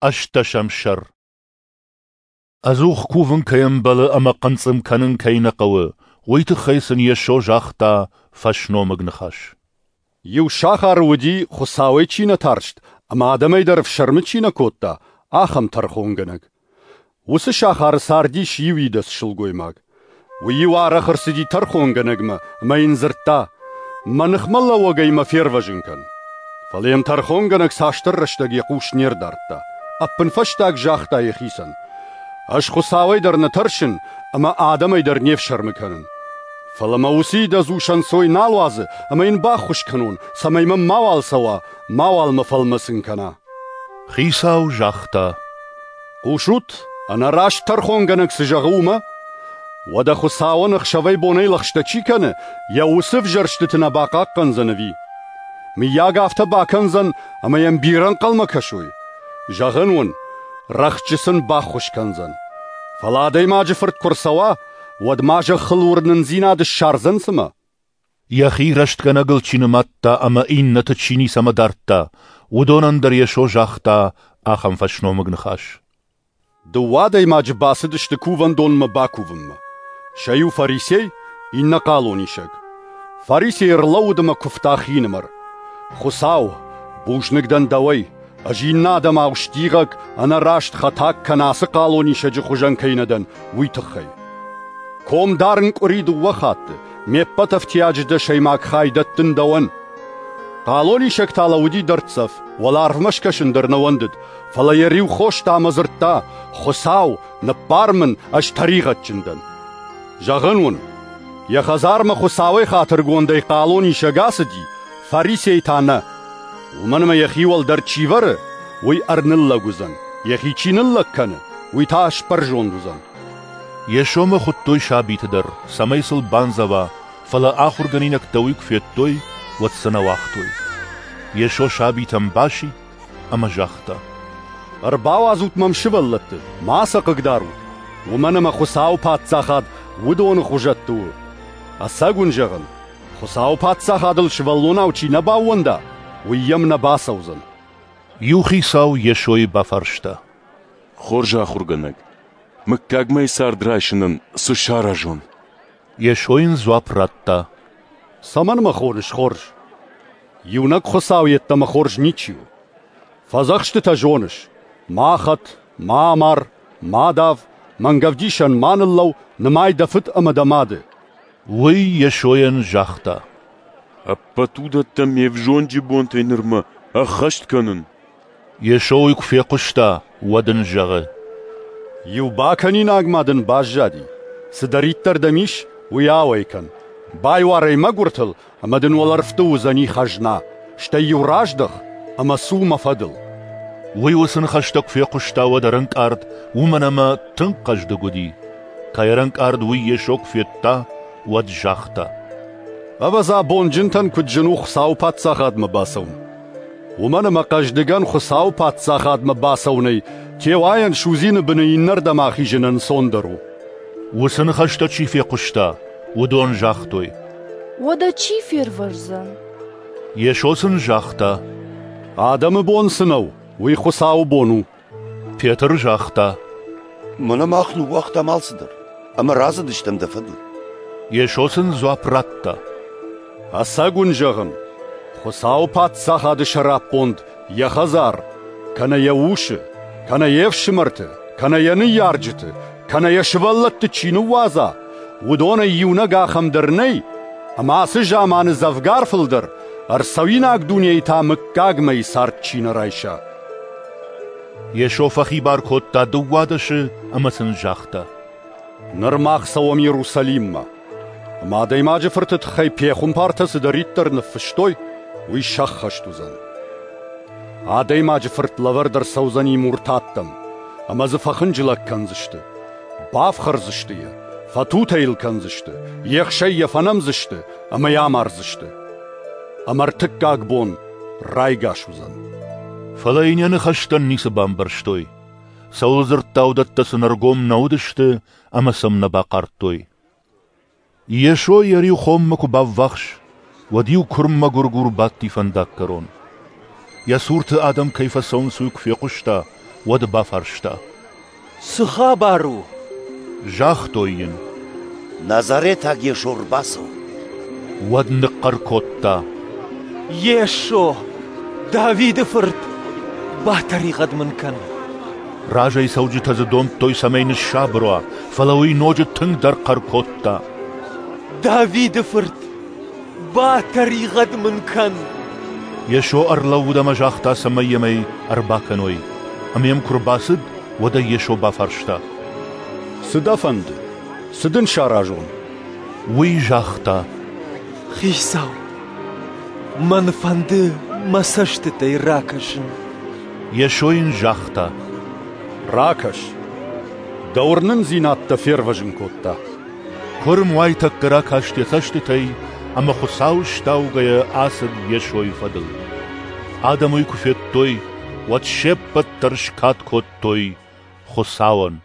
Ӕстдӕсӕм сӕр. Ӕдзух кувын кӕй ӕмбӕлы ӕмӕ хъынцъым кӕнын кӕй нӕ хъӕуы, уый тыххӕй сын Йесо загъта фӕсномыг ныхас. Иу сахары уыди, Хуыцауӕй чи нӕ тарст ӕмӕ адӕмӕй дӕр ӕфсӕрмы чи нӕ кодта, ахӕм тӕрхонгӕнӕг. Уыцы сахары цардис иу идӕдз сылгоймаг. Уый-иу арӕх ӕрцыди тӕрхонгӕнӕгмӕ ӕмӕ йын дзырдта: «Мӕ ныхмӕлӕууӕгӕй мӕ фервӕзын кӕн». Фӕлӕ йӕм тӕрхонгӕнӕг цасдӕр рӕстӕг йӕ хъус не рдардта. Ӕппынфӕстаг загъта йӕхицӕн: «Ӕз Хуыцауӕй дӕр нӕ тӕрсын ӕмӕ адӕмӕй дӕр не фсӕрмы кӕнын. Фӕлӕ мӕ уыцы идӕдз ус ӕнцой нал уадзы ӕмӕ йын баххуыс кӕнон, цӕмӕй мӕм мауал цӕуа, мауал мӕ фӕлмӕцын кӕна». Хицау загъта: «Хъусут, ӕнӕраст тӕрхонгӕнӕг цы зӕгъы, уымӕ? Уӕдӕ Хуыцауӕн ӕхсӕвӕй-бонӕй лӕгъстӕ чи кӕны, йӕ уыцы ӕвзӕрстыты нӕ бахъахъхъӕндзӕн ӕви? Мыййаг, афтӕ бакӕндзӕн, ӕмӕ йӕм бирӕ ӕнхъӕлмӕ кӕсой? Зӕгъын уын, рӕхджы сын баххуыс кӕндзӕн. Фӕлӕ Адӕймаджы Фырт куы рцӕуа, уӕд ма зӕххыл уырнындзинад ссардзӕн цымӕ?» Йӕхи рӕстгӕнӕгыл чи нымадта ӕмӕ иннӕты чи ницӕмӕ дардта, уыдонӕн дӕр Йесо загъта ахӕм фӕсномыг ныхас. Дыууӕ адӕймаджы бацыдысты кувӕндонмӕ бакувынмӕ. Сӕ иу фарисей, иннӕ хъалонисӕг. Фарисей ӕрлӕууыд ӕмӕ куывта хинымӕр: «Хуыцау, бузныг дӕн дӕуӕй, ӕз иннӕ адӕмау стигъӕг, ӕнӕраст хӕтаг кӕнӕ ацы хъалонисӕджы хуызӕн кӕй нӕ дӕн, уый тыххӕй. Ком дарын къуыри дыууӕ хатты, ме ппӕт ӕфтиаджы дӕсӕймаг хай дӕттын дӕуӕн». Хъалонисӕг та лӕууыди дӕрддзӕф, уӕларвмӕ скӕсын дӕр нӕ уӕндыд, фӕлӕ йӕ риу хоста ӕмӕ дзырдта: «Хуыцау, ныббар мын, ӕз тӕригъӕдджын дӕн». Зӕгъын уын, йӕ хӕдзармӕ Хуыцауӕй хатыргондӕй хъалонисӕг ацыди, фарисей та нӕ. Уымӕн ӕмӕ йӕхи уӕлдӕр чи вӕры, уый ӕрныллӕг уыдзӕн, йӕхи чи ныллӕг кӕны, уый та сбӕрзонд уыдзӕн. Йесомӕ хуыдтой сабиты дӕр, цӕмӕй сыл бандзӕва, фӕлӕ ахуыргӕнинӕгтӕ уый куы федтой, уӕд сӕ нӕ уагътой. Йесо сабитӕм басидт ӕмӕ загъта: «Ӕрбауадзут мӕм сывӕллӕтты, ма сӕ хъыгдарут, уымӕн ӕмӕ Хуыцауы Паддзахад уыдоны хуызӕтты у. Ӕцӕг уын зӕгъын, Хуыцауы Паддзахадыл сывӕллонау чи нӕ баууӕнда, уый йӕм нӕ бацӕудзӕн». Иу хицау Йесойы бафарста: «Хорз ахуыргӕнӕг, мыггагмӕйы цард райсынӕн цы саразон?» Йесо йын дзуапп радта: «Цӕмӕн мӕ хоныс хорз? Иунӕг Хуыцау йеддӕмӕ хорз ничи у. Фӕдзӕхстытӕ зоныс: ма хӕт, ма амар, ма дав, мӕнгӕвдисӕн ма ныллӕу, нымай дӕ фыд ӕмӕ дӕ мады». Уый Йесойӕн загъта: «Ӕппӕт уыдӕттӕ ме взонджы бонтӕй нырмӕ ӕххӕст кӕнын». Йесо уый куы фехъуыста, уӕд ын зӕгъы: «Иу бакӕнинаг ма дын баззади. Цыдӕриддӕр дӕм ис, уый ауӕй кӕн. Байуар ӕй мӕгуыртыл, ӕмӕ дын уӕлӕрвты уыдзӕни хӕзна. Стӕй-иу раздӕх ӕмӕ цу мӕ фӕдыл». Уый уыцы ныхӕстӕ куы фехъуыста, уӕд ӕрӕнкъард, уымӕн ӕмӕ тынг хъӕздыг уыди. Кӕй ӕрӕнкъард, уый Йесо куы федта, уӕд загъта: «Ӕвӕдза, бонджынтӕн куыд зын у Хуыцауы Паддзахадмӕ бацӕуын! Уымӕн ӕмӕ хъӕздыгӕн Хуыцауы Паддзахадмӕ бацӕуынӕй теуайӕн судзины быны иннӕрдӕм ахизын ӕнцондӕр у». Уыцы ныхӕстӕ чи фехъуыста, уыдон загътой: «Уӕдӕ чи фервӕздзӕн?» Йесо сын загъта: «Адӕмы бон цы нӕу, уый Хуыцауы бон у». Петр загъта: «Мӕнӕ мах ныууагътам алцыдӕр ӕмӕ рацыдыстӕм дӕ фӕдыл». Йесо сын дзуапп радта: «Ӕцӕг уын зӕгъын, Хуыцауы Паддзахады сӕраппонд йӕ хӕдзар, кӕнӕ йӕ усы, кӕнӕ йе фсымӕрты, кӕнӕ йӕ ныййарджыты, кӕнӕ йӕ сывӕллӕтты чи ныууадза, уыдонӕй иунӕг ахӕм дӕр нӕй, ӕмӕ ацы заманы дзӕвгар фылдӕр, ӕрцӕуинаг дунейы та мыггагмӕйы цард чи нӕ райса». Йесо фӕхибар кодта дыууадӕсы ӕмӕ сын загъта: «Ныр мах цӕуӕм Иерусалиммӕ. Ӕмӕ Адӕймаджы Фырты тыххӕй пехуымпартӕ цыдӕриддӕр ныффыстой, уый сӕххӕст уыдзӕн. Адӕймаджы Фырт лӕвӕрд ӕрцӕудзӕни муртаттӕм, ӕмӕ дзы фӕхынджылӕг кӕндзысты, бафхӕрдзысты йӕ, фӕтутӕ йыл кӕндзысты, ехсӕй йӕ фӕнӕмдзысты ӕмӕ йӕ амардзысты. Ӕмӕ ӕртыккаг бон райгас уыдзӕн». Фӕлӕ йын йӕ ныхӕстӕн ницы бамбӕрстой. Цӕуыл дзырдта, уыдӕттӕ сын ӕргом нӕ уыдысты ӕмӕ сӕм нӕ бахъардтой. Йесо Иерихонмӕ куы баввахс, уӕд иу куырм мӕгуыргур бадти фӕндаггӕрон. Йӕ цурты адӕм кӕй фӕцӕуынц, уый куы фехъуыста, уӕд бафарста: Цы хабар у? Загътой йын: Назаретаг Йесо ӕрбацӕуы. Уӕд ныхъхъӕр кодта: Йесо, Давиды фырт, батӕригъӕд мын кӕн! Разӕй цӕуджытӕ дзы домдтой, цӕмӕй ныссабыр уа, фӕлӕ уый ноджы тынгдӕр хъӕр кодта: Давиды фырт, батӕригъӕд мын кӕн! Йесо ӕрлӕууыд ӕмӕ загъта, цӕмӕй йӕм ӕй ӕрбакӕной. Ӕмӕ йӕм куы ӕрбацыд, уӕд ӕй Йесо бафарста: Цы дӕ фӕнды? Цы дын саразон? Уый загъта: Хицау, мӕн фӕнды мӕ цӕстытӕй ракӕсын. Йесо йын загъта: Ракӕс. Дӕ уырнындзинад дӕ фервӕзын кодта. Куырм уайтӕккӕ ракаст йӕ цӕстытӕй ӕмӕ Хуыцауы стаугӕйӕ ацыд Йесойы фӕдыл. Адӕм уый куы федтой, уӕд се ппӕт дӕр скад кодтой Хуыцауӕн.